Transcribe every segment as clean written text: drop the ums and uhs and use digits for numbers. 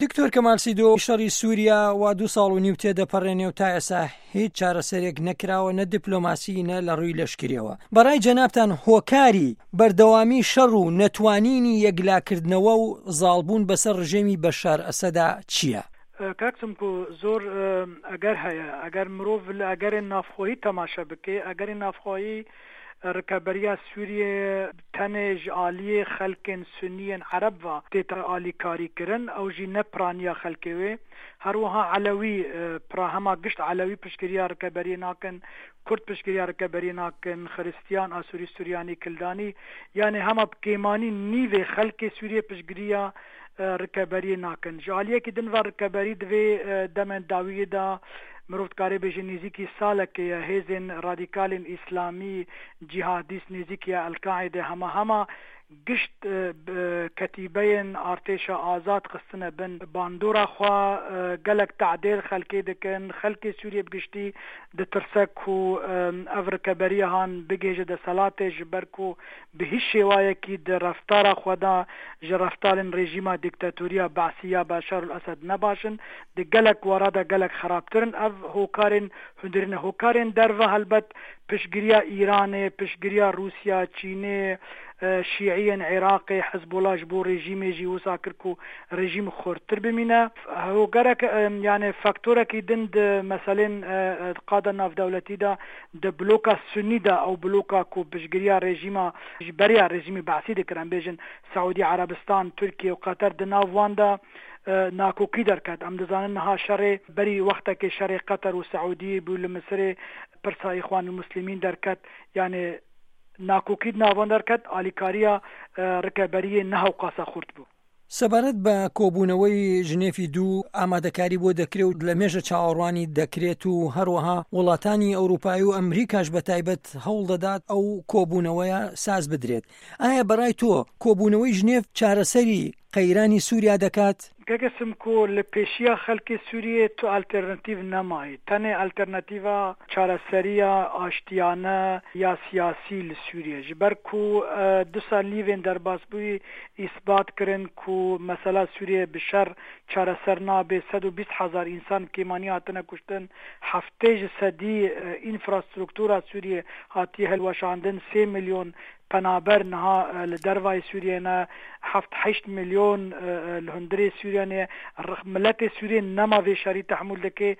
دکتۆر کەمال سیدۆ، شەڕی سووریا وا دوو ساڵ و نیو تێدەپەڕێنێ و تا ئێستا هیچ چارەسەرێک نەکراوە نە دیپلۆماسی نە لە ڕووی لەشکریەوە. بەڕای جەنابتان هۆکاری بەردەوامی شەڕ و نەتوانینی یەکلاکردنەوە و زاڵبوون بەسەر ڕژێمی بەشار ئەسەدا چییە؟ کاک سمکۆ زۆر ئەگەر هەیە ئەگەر مرۆڤ لە ئەگەرێن ناوخۆیی تەماشا بکێ ئەگەرێن ناوخۆیی ڕکەبەرییا سوریێ تەنێ ژ ئالیێ خەلکێن سونیێن عەرەب ڤە تێتە ئالیکاری کرن ئەو ژی نە پرانیا خەلکێ وێ هەروەها عەلەوی پرا هەما گشت عەلەوی پشتگریا ڕکەبەریێ ناکن کورد پشتگریا ڕکەبەریێ ناکن خرستیان ئاسوری سوریانی کلدانی یانێ هەما ب کێمانی نیڤێ خەلکێ سوریێ پشتگریا ڕکەبەریێ ناکن. ژ ئالیەکی دن ڤە ڕکەبەری دڤێ دەمێن داویێ دا مرۆڤ دکارێ بێژێ نێزیکی سالەکێ یە هێزێن ڕادیکالێن ئیسلامی جیهادیست نێزیکیە ئەلکاعیدێ هەما هەما گشت کەتیبەیێن ئارتێشا ئازاد خستنە بن باندۆرا خوە گەلەک تەعدێل خەلکێ دکن خەلکێ سوریێ ب گشتی دترسە کو ئەڤ ڕکەبەریە هان بگهێژە دەسەلاتێ ژ بەر کو bi hîç şêwayekî di reftara xwe de ji reftarên rejîma dîktatoriya Be'sî ya Beşar ul Esed ne baş in, di gelek wara de gelek xerabtir in. Ev hokarên hundirîn e. Hokarên derve helbet piştgiriya Îranê, piştgiriya Rûsya, Çînê, Şîiyên Iraqê, Hizbula ji bo rejîmê jî wisa kir ku rejîm xurttir bimîne. Hokerek yanê faktorekî din di meselên di qada navdewletî de Di bloka Sunnî de ew bloka ku piştgiriya rejîma ji beriya rejîmê Be'sî dikir em bêjin Siûdî Erebistan, Tirkiye û Qeter di nav wan de nakokî derket. Em dizanin niha şerê berî wextekê şerê Qeter û Siûdiyê bû li Misirê pirsa Îxwanulmuslîmîn derket yanê nakokî di nav wan derket alîkariya rikeberiyê ne hewqasa xurt bû. سەبارەت بە کۆبوونەوەی ژنێفی دوو ئامادەکاری بۆ دەکرێت و لە مێژە چاوەڕوانی دەکرێت و هەروەها وڵاتانی ئەوروپایی و ئەمریکاش بە تایبەت هەوڵ دەدات ئەو کۆبوونەوەیە ساز بدرێت. ئایا بەڕای تۆ کۆبوونەوەی ژنێف چارەسەری قەیرانی سووریا دەکات؟ کاکە سمکۆ لە پێشیا خەلکێ سوریێ تو ئەلتێرنەتیڤ نەمایێ تەنێ ئەلتێرنەتیڤا چارەسەرییا ئاشتیانە یا سیاسی li Sûriyê ji ber ku du sal nîvên derbasbûyî îsbat kirin ku mesela Sûriyê bi şer çareser nabe, 120 hezar însan bi kêmanî hatine kuştin, 70 ji sedî înfrastruktura Sûriyê hatiye hilweşandin, sê milyon penaber niha li dervayê Sûriyê ne, heft heşt milyon li hundirê Sûriyê ne, miletê Sûriyê nema vê şerî tehmûl dike,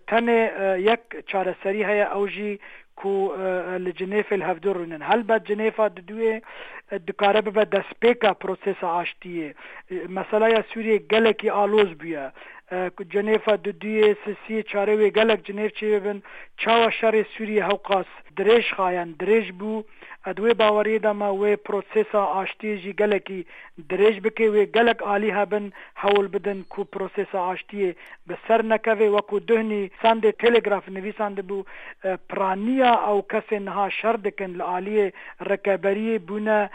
tenê yek çareserî heye ew jî ku li Cinêfê li hevdu rûnin. Helbet Cinêfa diduyê dikare bibe destpêka prosesa aştiyê. Meselaya Sûriyê gelekî aloz bûye. Cinêfa diduyê, sisiyê, çarê wê gelek Cinêf çêbibin. Çawa şerê Sûriyê hewqas dirêj xayen dirêj bû, di wê baweriyê de me wê prosesa aştiyê jî gelekî dirêj bike. Wê gelek alî hebin hewl bidin ku prosesa aştiyê bi ser nekeve. Wekû duhnî Sunday Telegraph nivîsandibû, piraniya ew kesên niha şer dikin li aliyê rikeberiyê bûne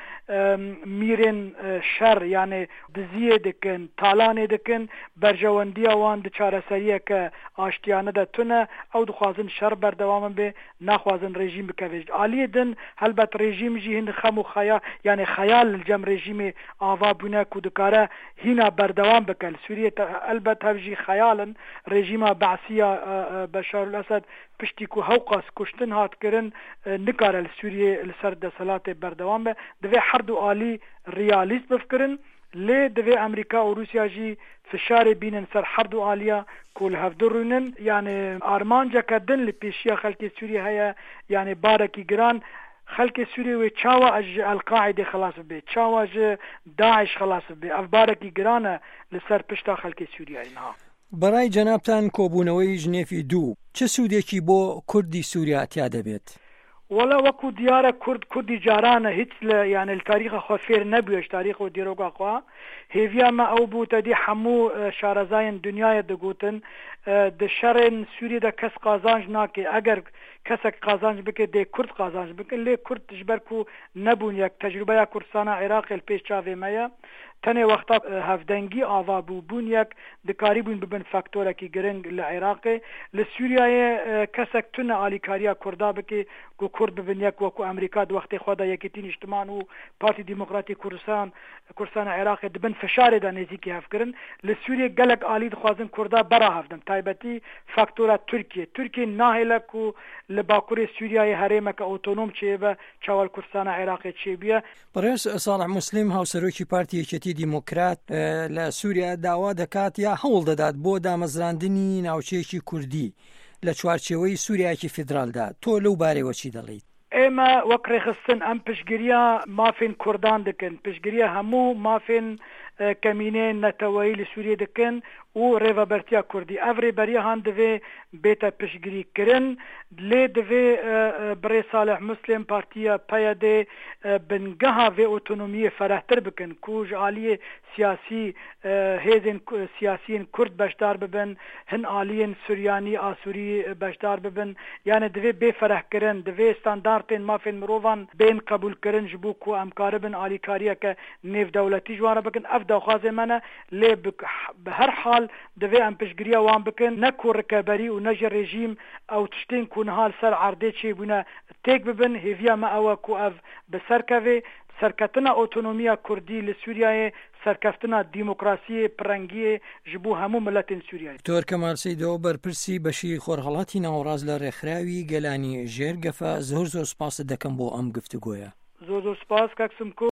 mîrên şer yanê diziyê dikin, talanê dikin, berjewendiya wan di çareseriyeke aştiyane de tune, ew dixwazin şer berdewam bibe, naxwazin rejîm bikeve. Ji aliyê din helbet rejîm jî hin xem û xeya yanê xeyal li cem rejîmê ava bûne ku dikare hîna berdewam bike. Li Sûriyê elbet hev jî xeyal in. Rejîma Be'sî ya Beşar el Esed piştî ku hewqas kuştin hat kirin nikare li Sûriyê li ser desthilatê berdewam be. Divê her du alî riyalîst bifkirin. Lê divê Amerîka û Rûsya jî fişarê bînin ser her du aliya ku li hevdu rûnin. Yanê armanceke din li pêşiya xelkê Sûriyê heye, yanê barekî giran. Xelkê Sûriyê wê çawa ji El Qaîdê xilas bibe, çawa ji daiş xilas bibe? Ev barekî giran e li ser pişta xelkê Sûriyeyê niha. بەڕای جەنابتان کۆبوونەوەی ژنێفی دوو چ سوودێکی بۆ کوردی سووریا تیا دەبێت؟ وەڵا وەکو دیارە کورد کوردی جارانە هیچ لە یانێ لە تاریخە خوا فێر نەبووە ژ تاریخ و دیرۆکا خوا هێڤیا مە ئەو بوو تەدی حەموو شارەزایên دنیایە دگوتن di şerên Sûriyê de kes qazanc nake eger kesek qazanc bike dê kurd qazanc bikin lê kurd ji ber ku nebûn yek tecrûbeya Kurdistana Iraqê li pêş çavê me ye. Tenê wexta hevdengî ava bû, bûn yek, dikarîbûn bibin faktorekî giring li Iraqê. Li Sûriyeyê kesek tune alîkariya Kurda bike ku Kurd bibin yek wekû Amerîka di wextê xwe de Yekîtî Nîştiman û Partî Demokratî Kurdistan Kurdistana Iraqê di bin fişarê de nêzîkî hev kirin. Li Sûriyê gelek alî dixwazin Kurda bera hev din, taybetî faktora Tirkiyê. Tirkiye nahêle ku li bakurê Sûriyeyê herêmeke otonom çêbibe çawa li Kurdistana Iraqê çêbûye. بەڕێز ساڵح موسلیم هاوسەرۆکی پارتی یەکێتی دیموکرات لە سووریا داوا دەکات یا هەوڵ دەدات بۆ دامەزراندنی ناوچەیەکی کوردی لە چوارچێوەی سووریایەکی فیدرالدا تۆ لەو بارەیەوە چی دەڵێیت؟ ئێمە وەک ڕێکخستن ئەم پشتگرییا مافێن کوردان دکن، پشتگرییا هەموو مافێن کەمینەیەن نەتەوەیی li Sûriyê dikin û rêvebertiya Kurdî. Ev rêberiya han divê bête piştgirî kirin. Lê divê birêz Salih Muslim partiya PYD'ê bingeha vê otonomiyê ferehtir bikin ku ji aliyê siyasî hêzên siyasî yên Kurd beşdar bibin, hin aliyên Suryanî, Asûrî beşdar bibin. Yanê divê bê ferehkirin, divê standartên mafên mirovan bên qebûlkirin ji bo ku em karibin alîkariyeke nêvdewletî ji wan re bikin. Ev daxwazên me ne lê bi her hal divê em piştgiriya wan bikin ne ku rikeberî û ne jî rejîm ew tiştên ku niha li ser erdê çêbûne têk bibin. Hêviya me ew e ku ev bi ser keve. Serketina otonomiya Kurdî li Sûriyeyê serkeftina demokrasiyê, pirrengiyê ji bo hemû miletên Sûriyeyê. Doktor Kemal Seydo, berpirsî beşî Xorhelatî Nawerast li Rêxirawi Gelanî Jêr Gefe, zor zor spas't dekem bo em giftigoye. Zor zor spas kak Simko.